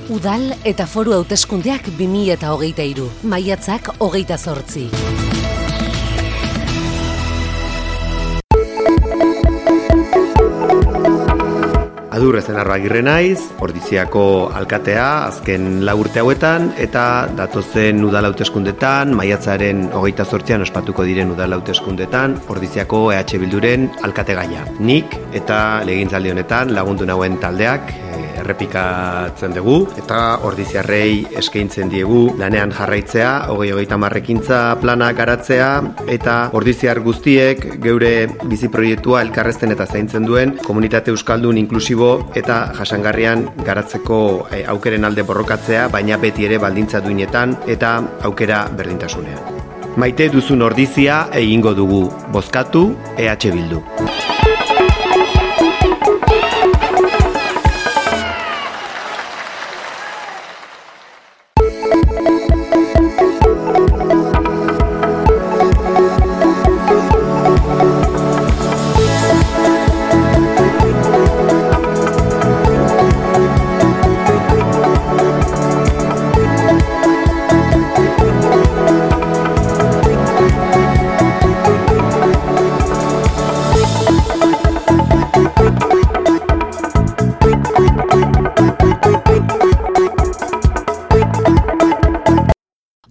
Udal eta foru hauteskundeak 2023, maiatzak 28. Adur Ezenarro Agirre naiz, Ordiziako alkatea azken 4 urte hauetan eta datozen udal hauteskundetan, maiatzaren 28an ospatuko diren udal hauteskundetan, Ordiziako EH Bilduren alkategaia. Nik eta legegintzaldi honetan lagundu nauen taldeak errepikatzen dugu eta ordiziarrei eskaintzen diegu lanean jarraitzea, 2030 ekintza plana garatzea eta ordiziar guztiek geure bizi proiektua elkarrezten eta zaintzen duen komunitate euskaldun inklusibo eta jasangarrian garatzeko aukeren alde borrokatzea, baina beti ere baldintza duinetan eta aukera berdintasunean. Maite duzun ordizia egingo dugu, bozkatu EH Bildu.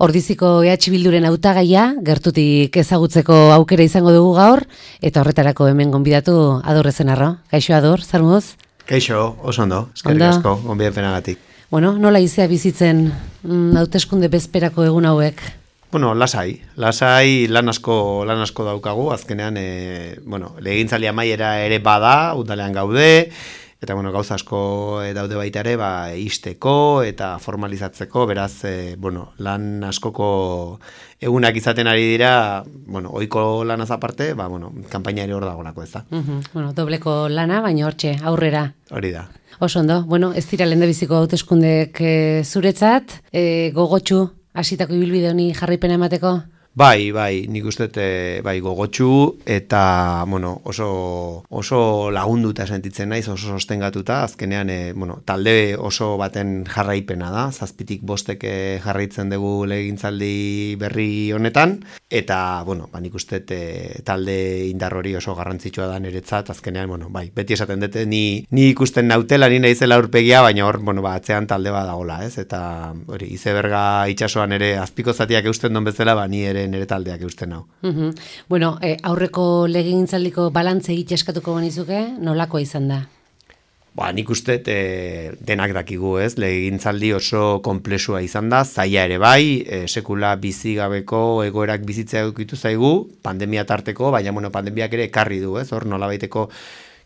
Ordiziko EH Bilduren hautagaia gertutik ezagutzeko aukera izango dugu gaur, eta horretarako hemen gonbidatu Adur Ezenarro. Kaixo Adur, zer moduz? Kaixo, oso ondo, eskerrik asko, gonbidapenagatik. Bueno, nola izea bizitzen hauteskunde bezperako egun hauek? Bueno, lasai lan asko daukagu, azkenean, legegintzaldi amaiera ere bada, udalean gaude, eta gauza asko daude baita ere, isteko eta formalizatzeko, beraz, lan askoko egunak izaten ari dira, ohiko lanaz aparte, kanpaina ere hor dagolako, ez da. Dobleko lana, baina hortxe, aurrera. Hori da. Oso ondo, ez dira lehendabiziko hauteskundek zuretzat, gogotsu hasitako ibilbide honi jarraipena emateko? Bai, nik uste gogotsu eta oso lagunduta sentitzen naiz, oso sostengatuta, azkenean talde oso baten jarraipena da, 7tik 5 jarraitzen dugu legegintzaldi berri honetan, eta nik uste talde indar hori oso garrantzitsua da niretzat, azkenean, beti esaten dute, ni ikusten nautela, ni naizela aurpegia, baina hor, atzean talde bat dagoela, ez? Eta hori, izeberga itsasoan ere azpiko zatiak eusten don bezala, ni ere nire taldeak eusten hau. Aurreko legegintzaldiko balantze egite eskatuko banizuke, nolakoa izan da? Nik uste denak dakigu, ez? Legegintzaldi oso konplexua izan da, zaila ere bai, sekula bizigabeko egoerak bizitzea egitu zaigu, pandemia tarteko, baina pandemiak ere ekarri du, ez? Hor nolabaiteko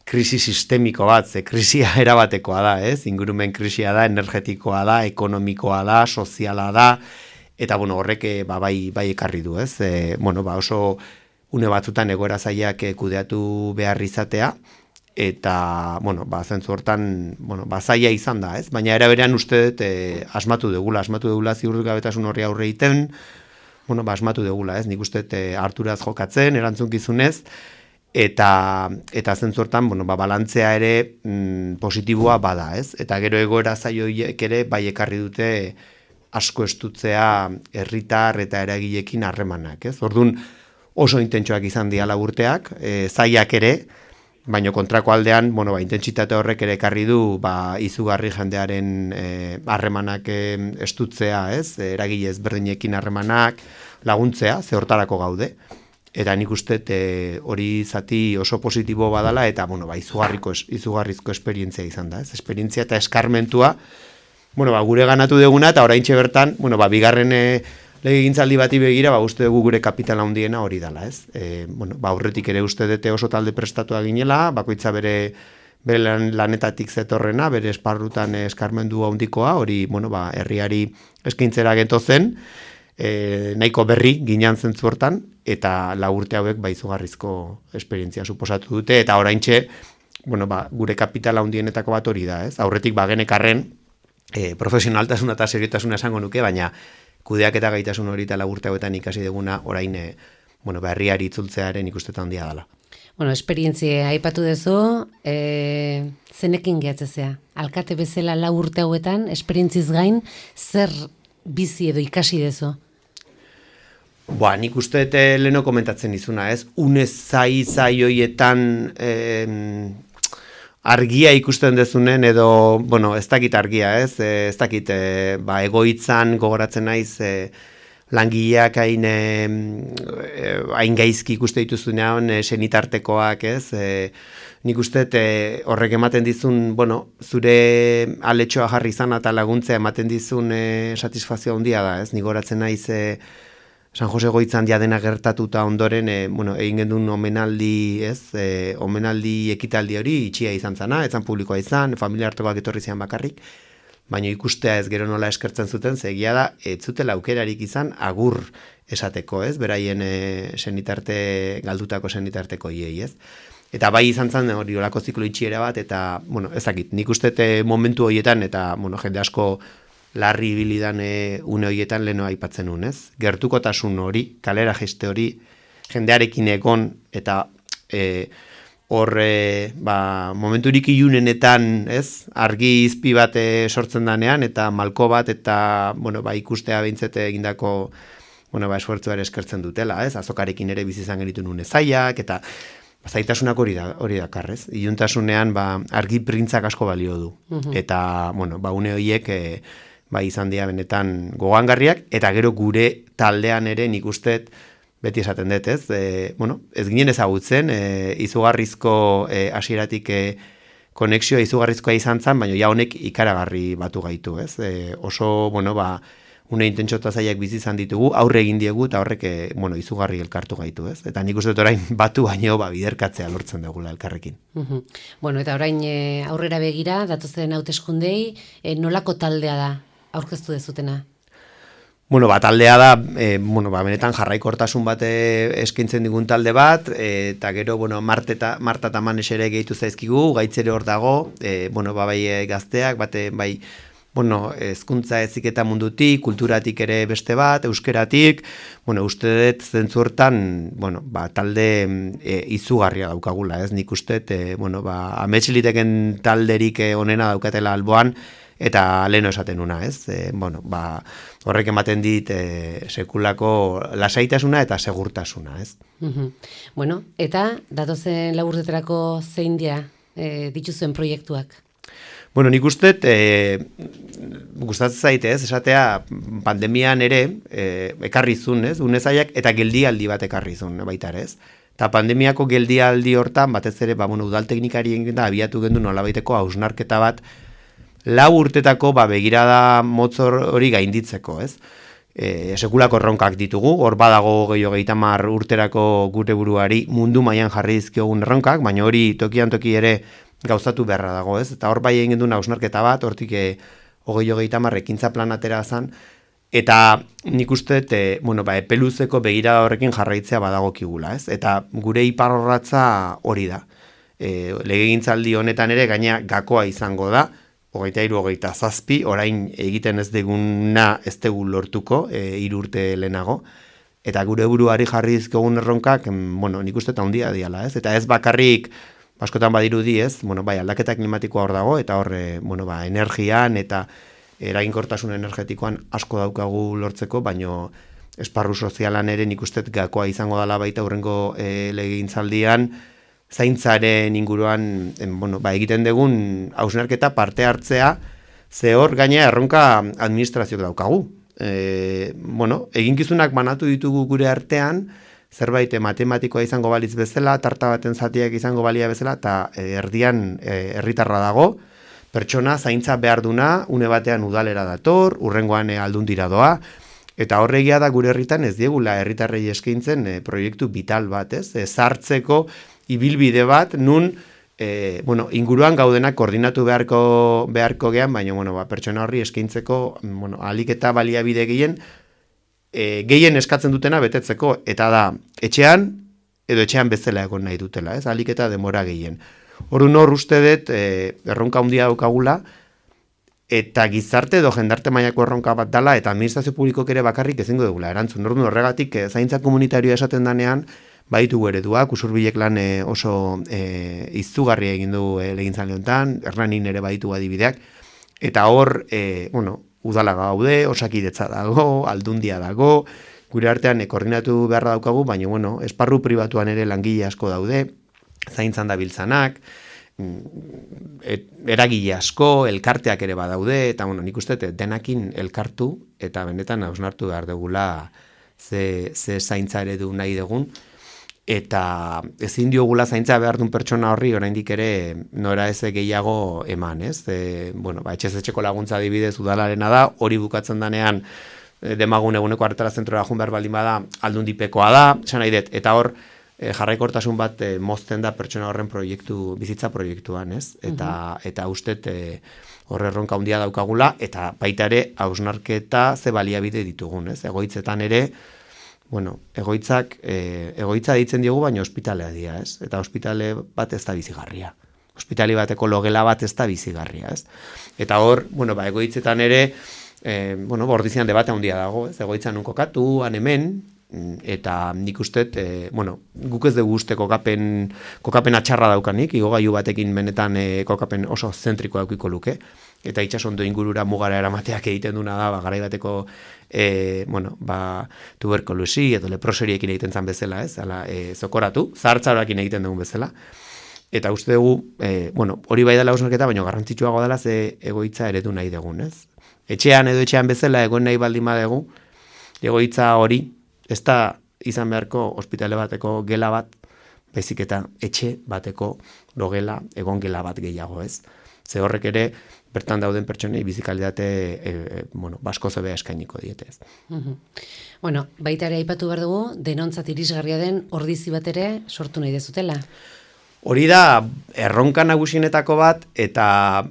krisi sistemiko bat, krisia erabatekoa da, ez? Ingurumen krisia da, energetikoa da, ekonomikoa da, soziala da, eta horrek bai ekarri du, ez? Oso une batzutan egoera zailak kudeatu behar izatea, eta, zentzu hortan, zaila izan da, ez? Baina eraberean uste dut asmatu dugula ziurgabetasun horri aurre egiten, asmatu dugula, ez? Nik uste dut harturaz jokatzen, erantzunkizunez, eta zentzu hortan, balantzea ere positiboa bada, ez? Eta gero egoera zailak ere bai ekarri dute asko estutzea herritar eta eragileekin harremanak, ez? Orduan oso intentsuak izan diala urteak, zailak ere, baina kontrako aldean, intentsitate horrek ere ekarri du, izugarri jendearen harremanak estutzea, ez? Eragile ezberdinekin harremanak laguntzea, ze hortarako gaude. Eta nik uste hori zati oso positibo badala, eta izugarrizko esperientzia izan da, ez? Esperientzia eta eskarmentua, gure ganatu duguna, eta oraintxe bertan, bigarren legegintzaldi bati begira, uste dugu gure kapitala handiena hori dela, ez? Aurretik ere uste dute oso talde prestatua ginela, bakoitza bere lanetatik zetorrena, bere esparrutan eskarmendu handikoa, hori, herriari eskaintzera gento zen, nahiko berri ginean zentzu hortan, eta 4 urte hauek izugarrizko esperientzia suposatu dute, eta oraintxe, gure kapitala handienetako bat hori da, ez? Aurretik genekarren, profesionaltasuna eta seriotasuna esango nuke, baina kudeak eta gaitasun hori eta 4 urte hauetan ikasi duguna orain herriari itzultzearen ikustetan handia dela. Bueno, esperientzia aipatu duzu, zenekin gehatzezea? Alkate bezala 4 urte hauetan, esperientziz gain, zer bizi edo ikasi duzu? Nik uste leheno komentatzen izuna, ez? Unez zai hoietan argia ikusten dezunen, edo, ez dakit argia, ez? Ez dakit, egoitzan gogoratzen naiz, langileak hain gaizki ikuste dituzunean, senitartekoak, ez? Nik uste horrek ematen dizun, zure aletxoa jarri izan eta laguntzea ematen dizun satisfazio handia da, ez? Nik gogoratzen naiz, San Jose Goitzan diadena gertatuta ondoren, egin gendun omenaldi, ez? Omenaldi ekitaldi hori itxia izan zana, etzan publikoa izan, familia hartuak etorri zian bakarrik, baina ikustea ez gero nola eskertzen zuten, zegia da, ez zutela aukerarik izan agur esateko, ez? Beraien galdutako senitarteko iei, ez? Eta bai izan zen hori olako ziklo itxiera bat, eta, ezakit, nik uste momentu horietan, eta, jende asko larri bilidan une horietan leheno aipatzen nun, ez? Gertukotasun hori, kalera geste hori, jendearekin egon, eta momenturik ilunenetan, ez? Argi izpi bat sortzen danean, eta malko bat, eta, ikustea behintzete egindako, esfortzuare eskertzen dutela, ez? Azokarekin ere bizizan genitu nun ezaiak, eta zaitasunak hori dakarrez. Iluntasunean, argi printzak asko balio du. Eta, une horiek, izan dira benetan gogangarriak, eta gero gure taldean ere nik uste beti esaten dut, ez? Ez ginen ezagutzen, izugarrizko hasieratik konexioa izugarrizkoa izan zen, baina ja honek ikaragarri batu gaitu, ez? Oso, une intentsota zaiak bizi izan ditugu, aurre egin diegu, eta horrek, izugarri elkartu gaitu, ez? Eta nik uste dut orain batu baino, biderkatzea lortzen dugula elkarrekin. Eta orain aurrera begira, datozen hauteskundei, nolako taldea da aurkeztu dezutena? Taldea da, benetan jarraikortasun bat eskaintzen digun talde bat, eta gero, Marta eta Manes ere gehitu zaizkigu, gaitz ere hor dago, bai gazteak, bai, hezkuntza heziketa mundutik, kulturatik ere beste bat, euskeratik, uste dut zentzu hortan, talde izugarria daukagula, ez? Nik uste, ametxiliteken talderik onena daukatela alboan, eta leheno esaten una, ez? Horrek ematen dit sekulako lasaitasuna eta segurtasuna, ez? Eta datozen 4 urtetarako zein dira dituzuen proiektuak? Nik uste, gustatzen zaite, ez? Esatea, pandemian ere, ekarri zuen, ez? Unezaiak eta geldialdi bat ekarri zuen, baita ere, ez? Eta pandemiako geldialdi hortan, batez ere, udal teknikarien da, abiatu gendu nolabaiteko hausnarketa bat, 4 urtetako begirada motzor hori gainditzeko, ez? Sekulako erronkak ditugu, hor badago 30 urterako gure buruari mundu mailan jarri dizkiogun erronkak, baina hori tokian toki ere gauzatu beharra dago, ez? Eta hor bai egin gendu hausnarketa bat, hortik 30 ekintza plan atera zan, eta nik uste, epeluzeko begirada horrekin jarraitzea badagokigula, ez? Eta gure iparrorratza hori da. Legegintzaldi honetan ere gaina gakoa izango da, 23-27, orain egiten ez deguna ez dugu lortuko, 3 urte lehenago, eta gure buruari jarri dizkogun erronkak, nik uste eta handia diala, ez? Eta ez bakarrik, askotan badirudi, ez? Aldaketa klimatikoa hor dago, eta hor, energian eta eraginkortasun energetikoan asko daukagu lortzeko, baino esparru sozialan ere nik uste gakoa izango dela baita hurrengo legegintzaldian, zaintzaren inguruan, egiten dugun hausnarketa parte hartzea, ze hor gaina erronka administrazioak daukagu. Eginkizunak banatu ditugu gure artean, zerbait matematikoa izango balitz bezala, tarta baten zatiak izango balia bezala, eta erdian herritarra dago, pertsona zaintza behar duna, une batean udalera dator, urrengoan aldundira doa, eta horregia da gure herritan ez diegula herritarrei eskaintzen proiektu vital bat, ez? Sartzeko ibilbide bat, nun inguruan gaudenak koordinatu beharko gean, baina pertsona horri eskaintzeko ahalik eta baliabide gehien eskatzen dutena betetzeko, eta da, etxean edo etxean bezala egon nahi dutela, ez? Ahalik eta demora gehien. Orduan hor uste dut erronka handia daukagula, eta gizarte edo jendarte mailako erronka bat dala, eta administrazio publikok ere bakarrik ezingo dugula erantzun. Orduan horregatik zaintza komunitarioa esaten danean, baditu ereduak, Usurbilek lan oso izugarria egin du legintzaldi honetan, Hernanin ere baditu adibideak, eta hor, udala gaude, osakidetza dago, aldundia dago, gure artean koordinatu beharra daukagu, baina, esparru pribatuan ere langile asko daude, zaintzan dabiltzanak, eragile asko, elkarteak ere badaude, eta nik uste denakin elkartu, eta benetan hausnartu behar dugula ze zaintza eredu nahi dugun, eta ezin diogula zaintza behar duen pertsona horri oraindik ere nora ez gehiago eman, ez? Etxez etxeko laguntza adibidez udalarena da, hori bukatzen danean demagun eguneko hartara zentrora jun behar baldin bada aldundipekoa da, esan nahi dut, eta hor jarraikortasun bat mozten da pertsona horren bizitza proiektuan, ez? Eta ustet horre erronka handia daukagula, eta baita ere hausnarketa ze baliabide ditugun, ez? Egoitzetan ere, egoitza ditzen diogu, baina ospitalea dira, ez? Eta ospitale bat ez da bizigarria. Ospitali bateko logela bat ez da bizigarria, ez? Eta hor, egoitzetan ere, bordizian debate handia dago, ez? Egoitzan nun kokatu, han hemen, eta nik ustet, guk ez dugu uste kokapen atxarra daukanik, igogailu batekin benetan kokapen oso zentrikoa daukiko luke, eta itxasondo ingurura mugara eramateak egiten duna da, garai bateko tuberkulosi edo leproseriekin egiten zan bezala, ez? Zokoratu, zahartzaroakin egiten dugun bezala. Eta uste dugu, hori bai dela hausnarketa, baina garrantzitsuago dela ze egoitza eredu nahi dugun, ez? Etxean edo etxean bezala egon nahi baldin badugu, egoitza hori, ez da izan beharko ospitale bateko gela bat, baizik eta etxe bateko logela, egon gela bat gehiago, ez? Ze horrek ere, bertan dauden pertsonei bizikalitate basko zebea eskainiko dietez. Baita ere aipatu behar dugu, denontzat irisgarria den ordizi bat ere sortu nahi dezutela. Hori da, erronka nagusienetako bat, eta,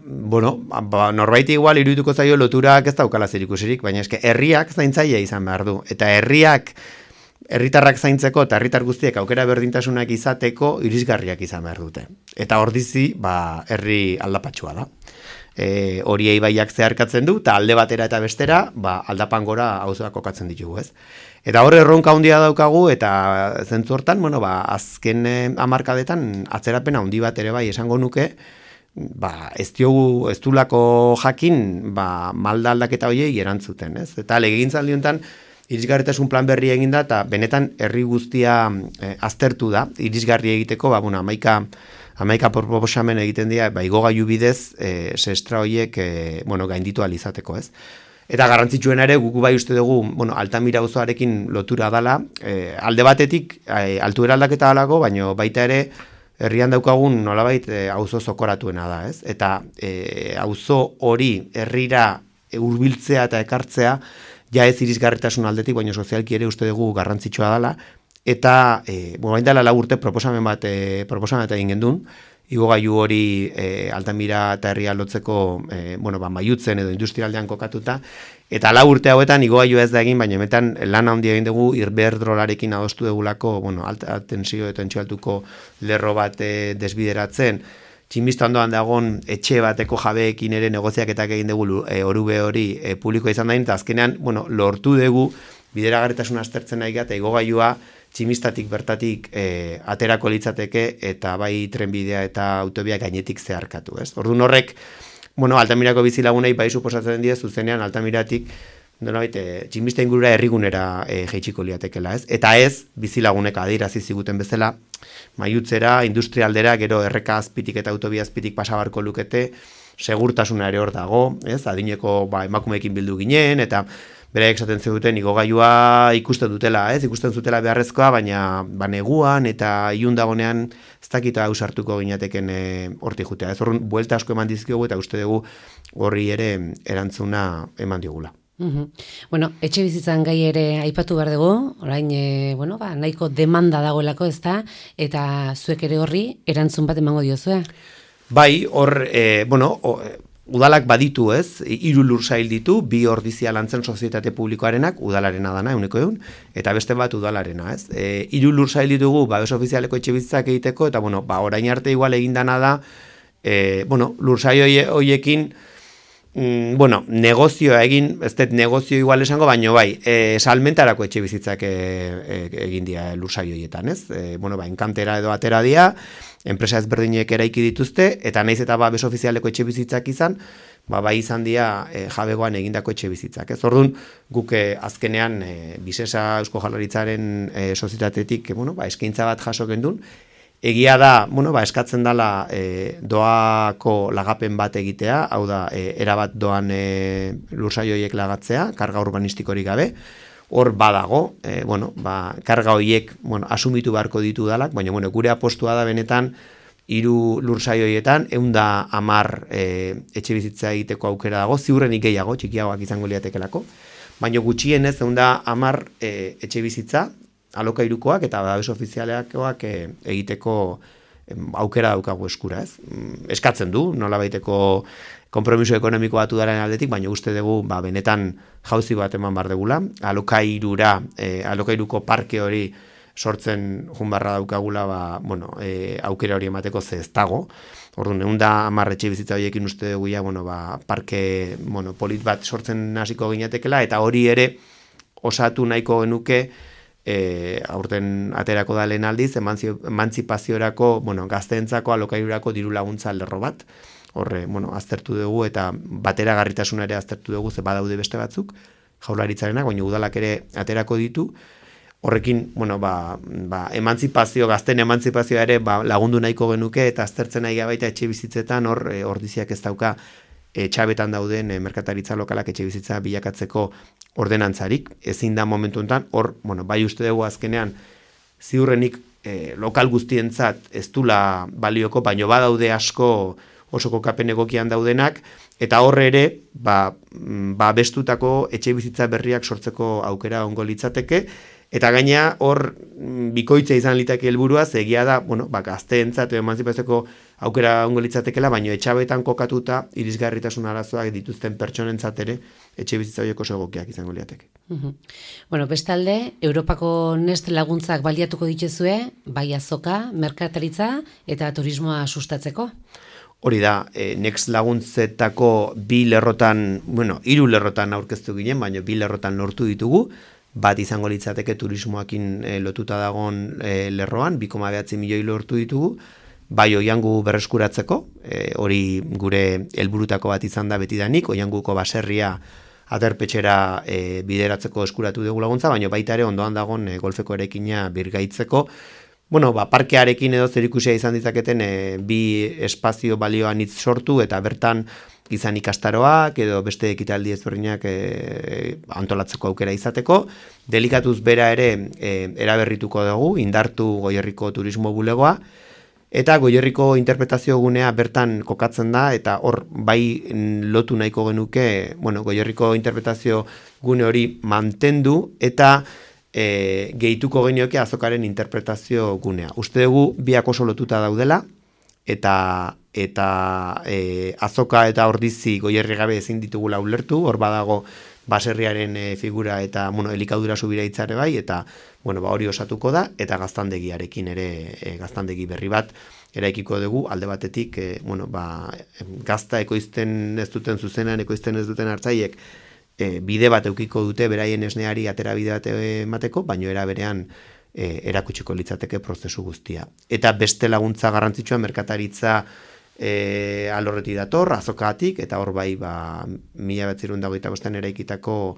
norbaiti igual irudituko zaio loturak ez daukala zerikusirik, baina eske herriak zaintzaile izan behar du. Eta herritarrak zaintzeko eta herritar guztiek aukera berdintasunak izateko irisgarriak izan behar dute. Eta ordizi, herri aldapatsua da. Hori ibaiak zeharkatzen du, eta alde batera eta bestera, aldapan gora auzoak kokatzen ditugu, ez? Eta horre erronka handia daukagu, eta zentzu hortan, azken hamarkadetan atzerapena handi bat ere bai esango nuke, ez dulako jakin, malda aldaketa horiei erantzuten, ez? Eta legegintzaldi honetan, irisgarritasun plan berri egin da, eta benetan herri guztia aztertu da, irisgarri egiteko, hamaika proposamen egiten dira, igogailu bidez, sestra horiek, gainditu ahal izateko, ez? Eta garrantzitsuena ere, guk bai uste dugu, Altamira auzoarekin lotura dala, alde batetik, altuera aldaketa dalako, baina baita ere, herrian daukagun nolabait auzo zokoratuena da, ez? Eta auzo hori herrira hurbiltzea eta ekartzea, ja ez irisgarritasun aldetik, baina sozialki ere uste dugu garrantzitsua dela, eta, bain dela 4 urte proposamen bat egin gendun, igogailu hori Altamira eta herria lotzeko, maiutzen edo industrialdean kokatuta, eta 4 urte hauetan igogailu ez da egin, baina hemetan lan handia egin dugu Iberdrolarekin adostu dugulako, alta tensio eta entxualtuko lerro bat desbideratzen, txinbistandoan dagoen etxe bateko jabeekin ere negoziaketak egin dugu orube hori publikoa izan dain, eta azkenean, lortu dugu bideragarritasun aztertzen nahi eta igogailua tximistatik bertatik aterako litzateke eta bai trenbidea eta autobia gainetik zeharkatu, ez? Orduan horrek, Altamirako bizilagunei bai suposatzen die zuzenean Altamiratik tximista ingurura herrigunera jaitsiko liatekela, ez? Eta ez bizilagunek adierazi ziguten bezala, maiutzera, industrialdera, gero erreka azpitik eta autobia azpitik pasabarko lukete, segurtasuna ere hor dago, ez? Adineko emakumeekin bildu ginen, eta beraiek esaten zuten igogailua ikusten dutela, ez? Ikusten zutela beharrezkoa, baina neguan eta ilun dagonean ez dakita ausartuko ginateken hortik jutea. Ez horren buelta asko eman dizkiogu eta uste dugu horri ere erantzuna eman diogula. Etxe bizitzan gai ere aipatu behar dugu, orain, nahiko demanda dagoelako, ez da, eta zuek ere horri erantzun bat emango diozue? Bai, hor, udalak baditu, ez, 3 lursail ditu, 2 ordizia lantzen sozietate publikoarenak, udalarena dana, 100, eta beste bat udalarena, ez. 3 lursail ditugu, babes ofizialeko etxe bizitzak egiteko, eta, orain arte igual egin dana da, lursail horiekin, Bueno, negozioa egin, ez dut negozio igual esango, baino bai, salmentarako etxe bizitzak egin dira lursaio horietan, ez? Bueno, enkantera edo atera dira, enpresa ezberdinek eraiki dituzte, eta naiz eta babes ofizialeko etxe bizitzak izan, bai izan dira jabegoan egindako etxe bizitzak, ez? Orduan, guk azkenean Bisesa Eusko Jaurlaritzaren sozietatetik, eskaintza bat jaso gendun. Egia da, eskatzen dela doako lagapen bat egitea, hau da, erabat doan lursaioiek lagatzea, karga urbanistikorik gabe. Hor badago, karga horiek asumitu beharko ditu dalak, baina gure apostua da benetan 3 lursaioietan 110 etxe bizitza egiteko aukera dago, ziurrenik gehiago, txikiagoak izango liatekelako, baina gutxienez 110 etxe bizitza alokairukoak eta babes ofizialekoak egiteko aukera daukagu eskura, ez? Eskatzen du, nolabaiteko konpromiso ekonomiko batu daren aldetik, baina uste dugu benetan jauzi bat eman bar degula, alokairuko parke hori sortzen junbarra daukagula, aukera hori emateko ze ez dago. Orduan, 110 etxe bizitza horiekin uste dugu parke polit bat sortzen hasiko ginatekela, eta hori ere osatu nahiko genuke aurten aterako da lehen aldiz, emantzipaziorako, gazteentzako alokairurako diru laguntza lerro bat. Horre, aztertu dugu eta bateragarritasuna ere aztertu dugu, ze badaude beste batzuk, Jaurlaritzarenak, baina udalak ere aterako ditu. Horrekin, gazteen emantzipazioa ere lagundu nahiko genuke, eta aztertzen nahi baita etxe bizitzetan, hor ordiziak ez dauka txabetan dauden merkataritza lokalak etxe bizitza bilakatzeko ordenantzarik, ezin da momentu honetan, hor, bai uste dugu azkenean, ziurrenik lokal guztientzat ez dula balioko, baino badaude asko oso kokapen egokian daudenak, eta horre ere, bestutako etxe bizitza berriak sortzeko aukera ongo litzateke, eta gaina hor bikoitza izan litake helburua, egia da, gazteentzat emantzipatzeko aukera ongo litzatekela, baina etxabetan kokatuta irisgarritasun arazoak dituzten pertsonentzat ere etxe bizitza horiek oso egokiak izango liateke. Bestalde, Europako Next laguntzak baliatuko dituzue, bai azoka, merkataritza eta turismoa sustatzeko? Hori da, Next laguntzetako 2 lerrotan, 3 lerrotan aurkeztu ginen, baina 2 lerrotan lortu ditugu, bat izango litzateke turismoakin lotuta dagoen lerroan, 2,9 milioi lortu ditugu, bai oiangu berreskuratzeko, hori gure helburutako bat izan da betidanik, oianguko baserria aterpetxera bideratzeko eskuratu dugu laguntza, baina baita ere ondoan dagoen golfeko erekina birgaitzeko, parkearekin edo zerikusia izan ditzaketen 2 espazio balioan hitz sortu, eta bertan izan ikastaroak edo beste ekitaldi ezberdinak antolatzeko aukera izateko. Delikatuz bera ere eraberrituko dugu, indartu Goierriko turismo bulegoa, eta Goierriko interpretazio gunea bertan kokatzen da, eta hor bai lotu nahiko genuke, Goierriko interpretazio gune hori mantendu, eta gehituko genioke azokaren interpretazio gunea. Uste dugu biak oso lotuta daudela, eta azoka eta ordizi Goierri gabe ezin ditugula ulertu, hor badago baserriaren figura eta elikadura subira itzare bai, eta hori osatuko da, eta gaztandegiarekin ere gaztandegi berri bat eraikiko dugu, alde batetik gazta ekoizten ez duten zuzenan, ekoizten ez duten hartzaiek bide bat eukiko dute beraien esneari atera bide bat emateko, baino era berean erakutsiko litzateke prozesu guztia. Eta beste laguntza garrantzitsua merkataritza alorretik dator, azokatik, eta hor bai 1925 eraikitako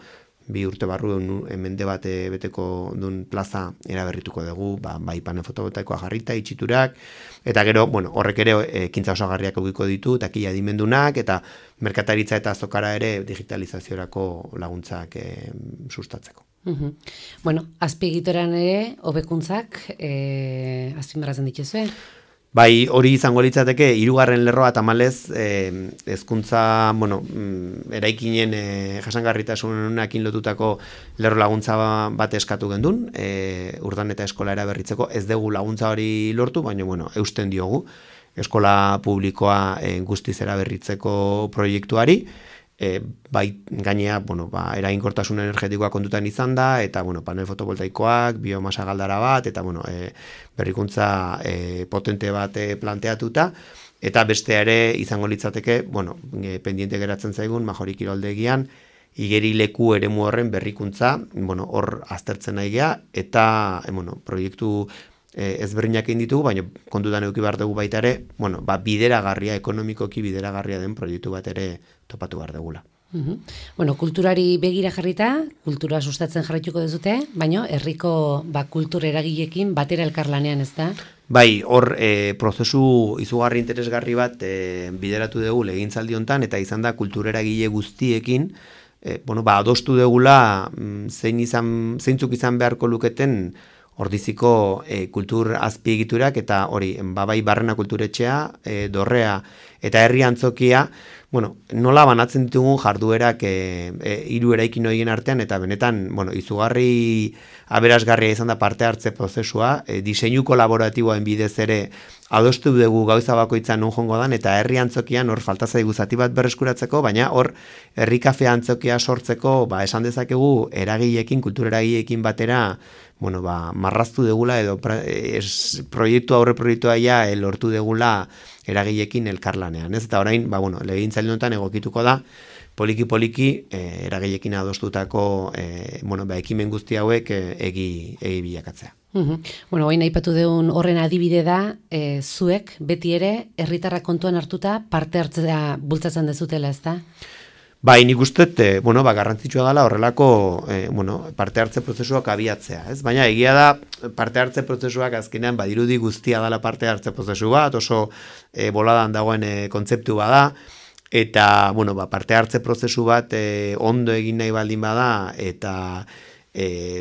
2 urte barru mende bat beteko duen plaza eraberrituko dugu, bai panel fotovoltaikoa jarrita, itxiturak, eta gero, horrek ere ekintza osagarriak egiko ditu, takila dimendunak, eta merkataritza eta azokara ere digitalizaziorako laguntzak sustatzeko. Azpiegituran ere, hobekuntzak azpimarratzen dituzue? Bai, hori izango litzateke, 3. lerroa tamalez, hezkuntza, eraikinen jasangarritasunakin lotutako lerro laguntza bat eskatu gendun, urdan eta eskola eraberritzeko, ez dugu laguntza hori lortu, baina, eusten diogu, eskola publikoa guztiz eraberritzeko proiektuari, bai gainea, eraginkortasun energetikoa kontutan izan da, eta, panel fotovoltaikoak, biomasa galdara bat, eta, berrikuntza potente bat planteatuta, eta beste ere izango litzateke, pendiente geratzen zaigun, Majori kiroldegian, igerileku eremu horren berrikuntza, hor aztertzen nahi gea, eta, proiektu ezberdinak egin ditugu, baina kontutan eduki behar dugu baita ere, bideragarria, ekonomikoki bideragarria den proiektu bat ere topatu behar dugula. Kulturari begira jarrita, kultura sustatzen jarraituko dezute, baina herriko kultur eragilekin batera elkarlanean, ez da? Bai, hor prozesu izugarri interesgarri bat bideratu dugu legintzaldi hontan, eta izan da kultur eragile guztiekin, adostu dugula zeintzuk izan beharko luketen Ordiziko kultur azpiegiturak eta hori, bai Barrena kulturetxea, Dorrea eta herri antzokia, nola banatzen ditugun jarduerak hiru eraikin horien artean, eta benetan, izugarri aberasgarria izan da parte hartze prozesua, diseinu kolaboratiboen bidez ere adostu dugu gauza bakoitza non jongo dan, eta herri antzokian hor falta zaigu zati bat berreskuratzeko, baina hor herri kafe antzokia sortzeko, esan dezakegu eragileekin, kultur eragileekin batera, marraztu degula edo aurre proiektua lortu degula eragileekin elkarlanean, ez? Eta orain, legegintzaldi honetan egokituko da, poliki eragileekin adostutako ekimen guzti hauek egi bilakatzea. Hain aipatu deun horren adibide da, zuek beti ere herritarrak kontuan hartuta parte hartzea bultzatzen dezutela, ez da? Bai, nik uste, garrantzitsua dela horrelako parte hartze prozesuak abiatzea, ez? Baina egia da parte hartze prozesuak azkenean badirudi guztia dela parte hartze prozesu bat, oso boladan dagoen kontzeptu bada, eta parte hartze prozesu bat ondo egin nahi baldin bada, eta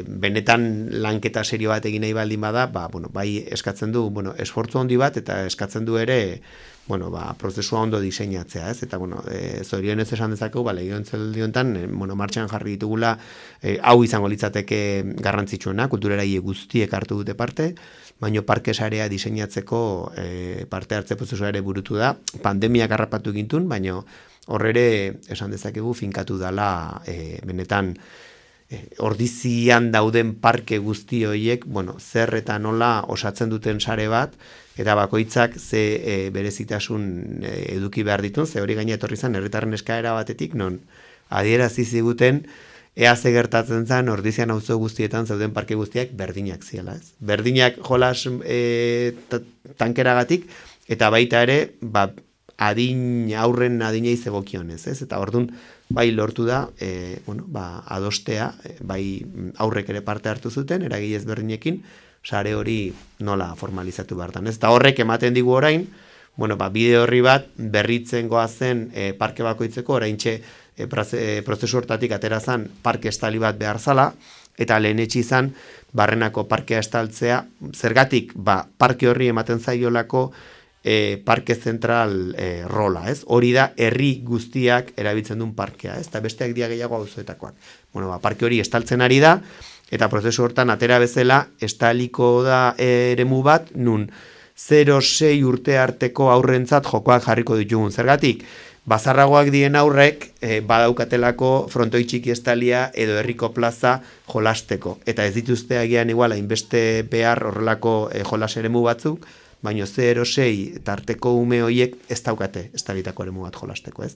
benetan lanketa serio bat egin nahi baldin bada, bai eskatzen du esfortzu handi bat, eta eskatzen du ere prozesua ondo diseinatzea, ez? Eta, zorionez esan dezakegu, legiantzeldi honetan, martxan jarri ditugula, hau izango litzateke garrantzitsuena, kultureraile guztiek hartu dute parte, baina parke sarea diseinatzeko parte hartze prozesua ere burutu da, pandemiak harrapatu gintun, baina horre esan dezakegu finkatu dela benetan ordizian dauden parke guzti horiek, zer eta nola osatzen duten sare bat, eta bakoitzak ze berezitasun eduki behar ditun, ze hori gaina etorri zen herritarren eskaera batetik, non adierazi ziguten ea ze gertatzen zen ordizian auzo guztietan zeuden parke guztiak berdinak ziela, ez? Berdinak jolas tankeragatik, eta baita ere, aurren adinei zegokionez, ez? Eta ordun bai lortu da, adostea, bai aurrek ere parte hartu zuten, eragile ezberdinekin, sare hori nola formalizatu behartan. Ez da horrek ematen digu orain, bide horri bat berritzen goazen parke bakoitzeko, oraintxe prozesu hortatik aterazan parke estali bat behar zala, eta lehen izan Barrenako parkea estaltzea, zergatik parke horri ematen zaiolako parke zentral rola, ez? Hori da herri guztiak erabiltzen duen parkea, ez? Eta besteak dia gehiago auzoetakoak. Parke hori estaltzen ari da, eta prozesu hortan atera bezala estaliko da eremu bat, nun 0-6 urte arteko aurrentzat jokoak jarriko ditugun. Zergatik, bazarragoak dien aurrek badaukatelako frontoi txiki estalia edo herriko plaza jolasteko. Eta ez dituzte agian igual hainbeste behar horrelako jolas eremu batzuk, baina 0-6 tarteko ume horiek ez daukate estalitako eremu bat jolasteko, ez?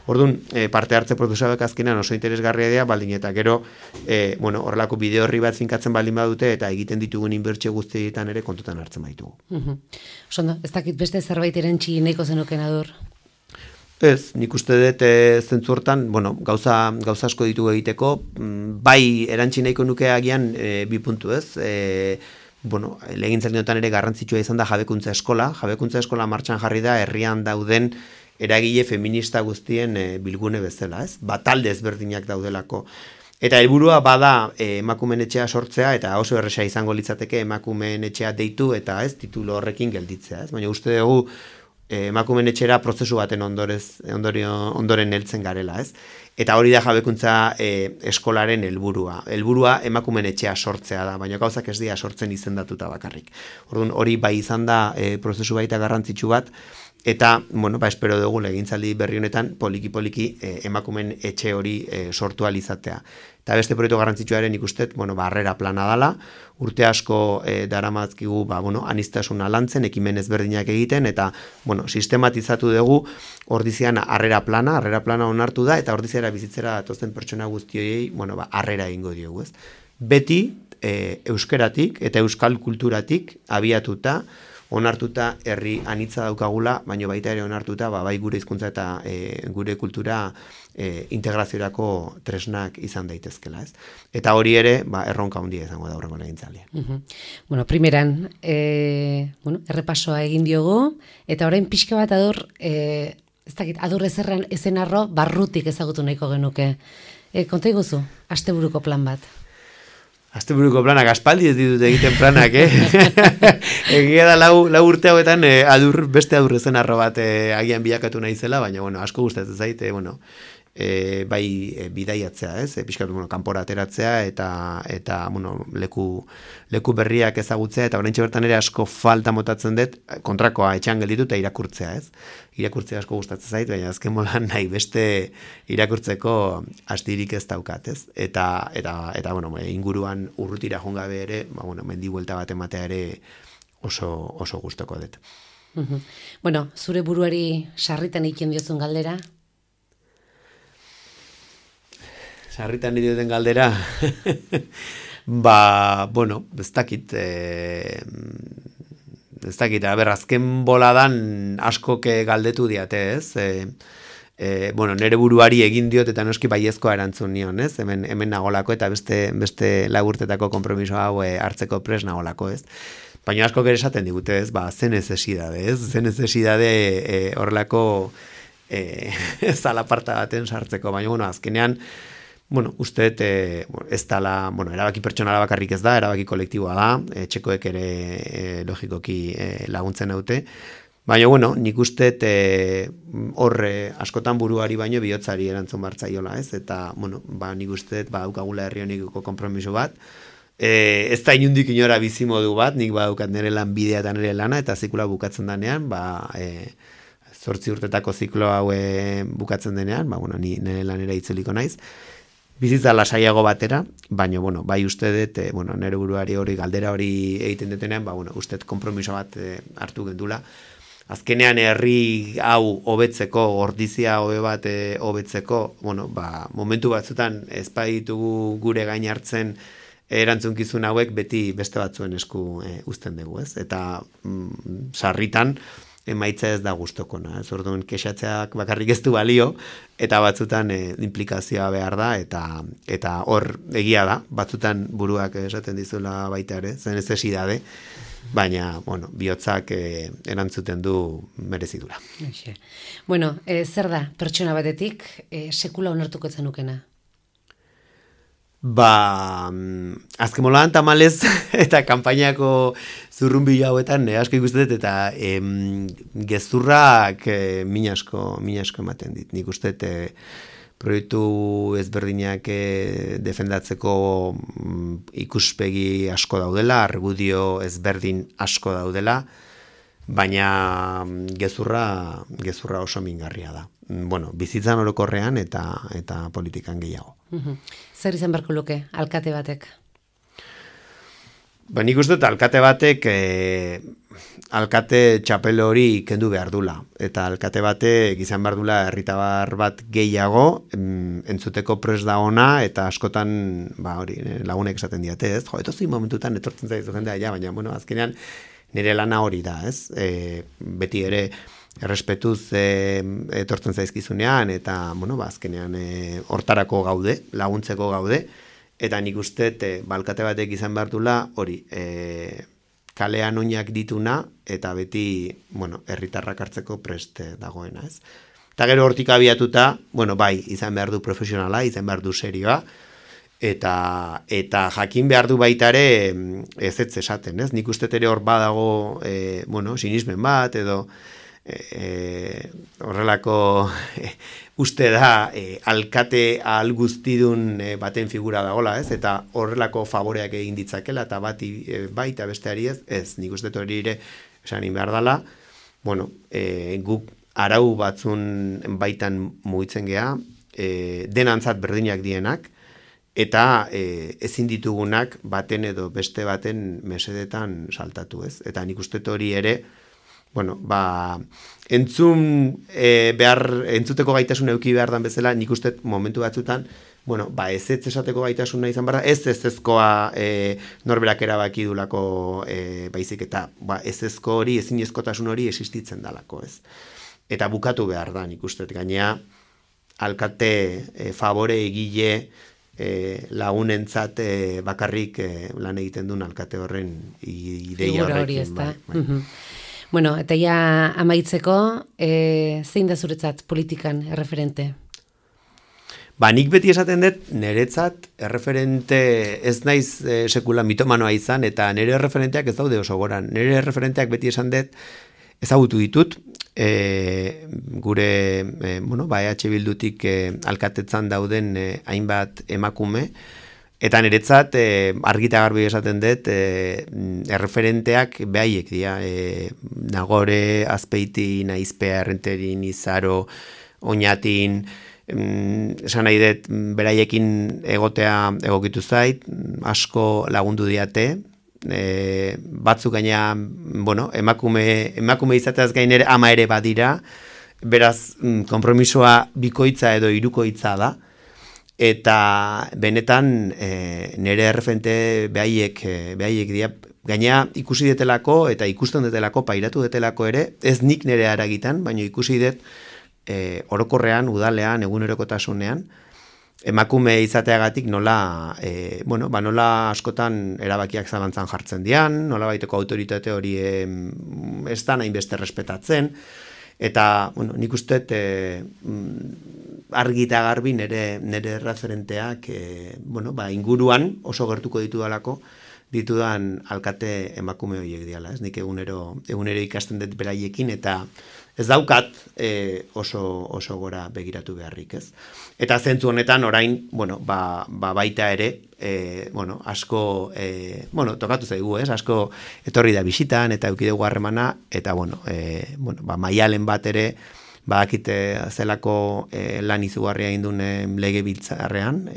Orduan, parte hartze prozesuak azkenean oso interesgarria dira, baldin eta gero, horrelako bide horri bat finkatzen baldin badute, eta egiten ditugun inbertsio guztietan ere kontutan hartzen baitugu. Osondo, ez dakit beste zerbait erantzi nahiko zenuken Adur? Ez, nik uste dut zentzu hortan, gauza asko ditugu egiteko, bai erantzi nahiko nuke agian bi puntu, ez? Legintzaldi honetan ere garrantzitsua izan da jabekuntza eskola martxan jarri da herrian dauden eragile feminista guztien bilgune bezala, ez? Talde ezberdinak daudelako. Eta helburua bada emakumeen etxea sortzea, eta oso erresa izango litzateke emakumeen etxea deitu, eta ez titulo horrekin gelditzea, ez? Baina uste dugu emakumeen etxera prozesu baten ondoren heltzen garela, ez? Eta hori da jabekuntza eskolaren helburua. Helburua emakumeen etxea sortzea da, baina gauzak ez dira sortzen izendatuta bakarrik. Orduan hori bai izan da prozesu baita garrantzitsu bat, eta, bueno, espero dugu legintzaldi berri honetan poliki emakumen etxe hori sortu alizatea. Eta beste proiektu garrantzitsuaren ikustet, harrera plana dala, urte asko daramazkigu, aniztasuna lantzen, ekimen ezberdinak egiten, eta, sistematizatu dugu ordizian harrera plana onartu da, eta ordiziara bizitzera datozen pertsona guztioi, harrera egingo diogu, ez? Beti, euskeratik eta euskal kulturatik abiatuta, onartuta herri anitza daukagula, baina baita ere onartuta, bai gure hizkuntza eta gure kultura integraziorako tresnak izan daitezkela, ez? Eta hori ere, erronka handia izango da aurrengo legintzaldian. Primeran, errepasoa egin diogu, eta orain pixka bat adur ezerran ezenarro barrutik ezagutu nahiko genuke. Konta iguzu, asteburuko plan bat. Asteburuko planak, aspaldi ez ditut egiten planak, Egia da lau urte hauetan beste adur ezenarro bat agian bilakatu naizela, baina, asko gustatzen zait, bai bidaiatzea, ez? Pixkatu, kanpora ateratzea eta leku berriak ezagutzea, eta oraintxe bertan ere asko falta motatzen dut, kontrakoa etxean gelditu eta irakurtzea, ez? Irakurtzea asko gustatzen zait, baina azken molan nahi beste irakurtzeko astirik ez daukat, ez? Eta inguruan urrutira jongabe ere, mendi buelta bat ematea ere oso gustoko dut. Zure buruari sarritan egiten diozun galdera? Sarritan dioten galdera, ez dakit, azken boladan askok galdetu diate, ez? Nere buruari egin diot eta noski baiezkoa erantzun nion, ez? Hemen nagolako eta beste laburtetako konpromiso hau hartzeko pres nagolako, ez? Baina askok ere esaten digute, ez? Zen necesidade, ez? Zen necesidade horrelako zalaparta baten sartzeko, baina, azkenean, uste ez dala, erabaki pertsonala bakarrik ez da, erabaki kolektiboa da, txekoek ere logikoki laguntzen haute, baina, nik uste horre askotan buruari baino bihotzari erantzun bartzaiola, ez? Eta, nik uste daukagula herri honiko konpromiso bat, ez da inundik inora bizimodu bat, nik badaukat nire lan bidea eta nire lana, eta zikloa bukatzen denean, 8 urtetako ziklo hau bukatzen denean, ni nire lanera itzuliko naiz, bizitza lasaiago batera, baina, bai uste dut, nire buruari hori, galdera hori egiten detenean, uste dut kompromiso bat hartu gendula. Azkenean herri hau hobetzeko, ordizia hobe bat hobetzeko, momentu batzutan ez baditugu gure gain hartzen erantzunkizun hauek beti beste batzuen esku uzten dugu, ez? Eta sarritan, emaitza ez da gustokona, ez? Orduan kexatzeak bakarrik ez du balio, eta batzutan implikazioa behar da, eta hor egia da, batzutan buruak esaten dizuela baita ere, zen necesidade, baina, bihotzak erantzuten du merezidura. Zer da, pertsona batetik, sekula onartuko zenukena? Azken molan tamalez eta kanpainako zurrunbilo hauetan asko ikusten dut eta gezurrak min asko ematen dit. Nik uste proiektu ezberdinak defendatzeko ikuspegi asko daudela, argudio ezberdin asko daudela, baina gezurra oso mingarria da. Bizitzan orokorrean eta politikan gehiago. Zer izan beharko luke, alkate batek? Nik uste dut alkate batek alkate txapel hori kendu behar dula. Eta alkate batek izan behar dula herritabar bat gehiago, entzuteko pres da ona, eta askotan lagunek esaten diate, ez? Etozi momentutan etortzen zaizu jendea, baina, azkenean nire lana hori da, ez? Beti ere errespetuz etortzen zaizkizunean, eta, azkenean hortarako gaude, laguntzeko gaude, eta nik uste, balkate batek izan behar dula, hori, kalean oinak dituna, eta beti, herritarrak hartzeko prest dagoena, ez? Eta gero hortik abiatuta, bai, izan behar du profesionala, izan behar du serioa, eta jakin behar du baita ere ez esaten, ez? Nik uste ere hor badago, sinismen bat, edo horrelako uste da alkate ahal guztidun baten figura dagola, ez? Eta horrelako favoreak egin ditzakela, eta baita besteari ez, nik uste hori ere esan behar dela, bueno, guk arau batzun baitan mugitzen gea, denantzat berdinak dienak, eta ezin ditugunak baten edo beste baten mesedetan saltatu, ez? Eta nik uste hori ere, bueno, entzuteko gaitasun eduki behar dan bezala, nik uste momentu batzutan, bueno, ez esateko gaitasuna izan behar da, ezkoa norberak erabaki dulako baizik, eta ezko hori, ezinezkotasun hori existitzen dalako, ez? Eta bukatu behar da, nik uste, gainea, alkate favore egile lagunentzat bakarrik lan egiten duen alkate horren ideia horrekin. Bai. Bueno, eta ja amaitzeko, zein da zuretzat politikan erreferente? Nik beti esaten dut, niretzat erreferente ez naiz sekula mitomanoa izan, eta nire erreferenteak ez daude oso goran. Nire erreferenteak beti esan dut, ezagutu ditut, gure EH Bildutik alkatetzan dauden hainbat emakume, eta niretzat argita garbi esaten dut erreferenteak behaiek dira, Nagore, Azpeiti, Naizpea, Errenterin, Izaro, Oñatin, esan nahi dut beraiekin egotea egokitu zait, asko lagundu diate, batzuk gaina, emakume izateaz gain ere ama ere badira, beraz, konpromisoa bikoitza edo hirukoitza da, eta benetan nire erreferente behaiek dira, gaina ikusi detelako eta ikusten detelako, pairatu detelako ere, ez nik nire aragitan, baina ikusi det orokorrean, udalean, egunerokotasunean, emakume izateagatik nola, nola askotan erabakiak zalantzan jartzen dian, nola baiteko autoritate hori ez da nahin beste respetatzen, eta, nik uste argi eta garbi nire referenteak, inguruan oso gertuko ditudan alkate emakume horiek diala, ez nik egunero ikasten dut beraiekin, eta ez daukat oso gora begiratu beharrik, ez? Eta zentzu honetan orain, baita ere, asko, tokatu zaigu, ez? Asko etorri da bisitan eta eukidegu harremana, eta, maialen bat ere, badakite zelako lan izugarria indun legebiltzarrean,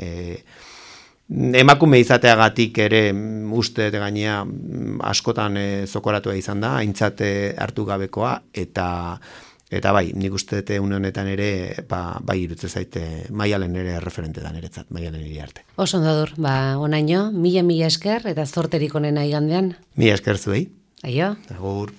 emakume izateagatik ere uste gainea askotan zokoratua izan da, aintzat hartu gabekoa, eta bai, nik uste une honetan ere, bai irutze zaite Maialen ere referente da niretzat, Maialen Iriarte. Oso ondadur, onaino, mila esker, eta zorterik onena igandean. Mila esker zuei. Aio. Agur.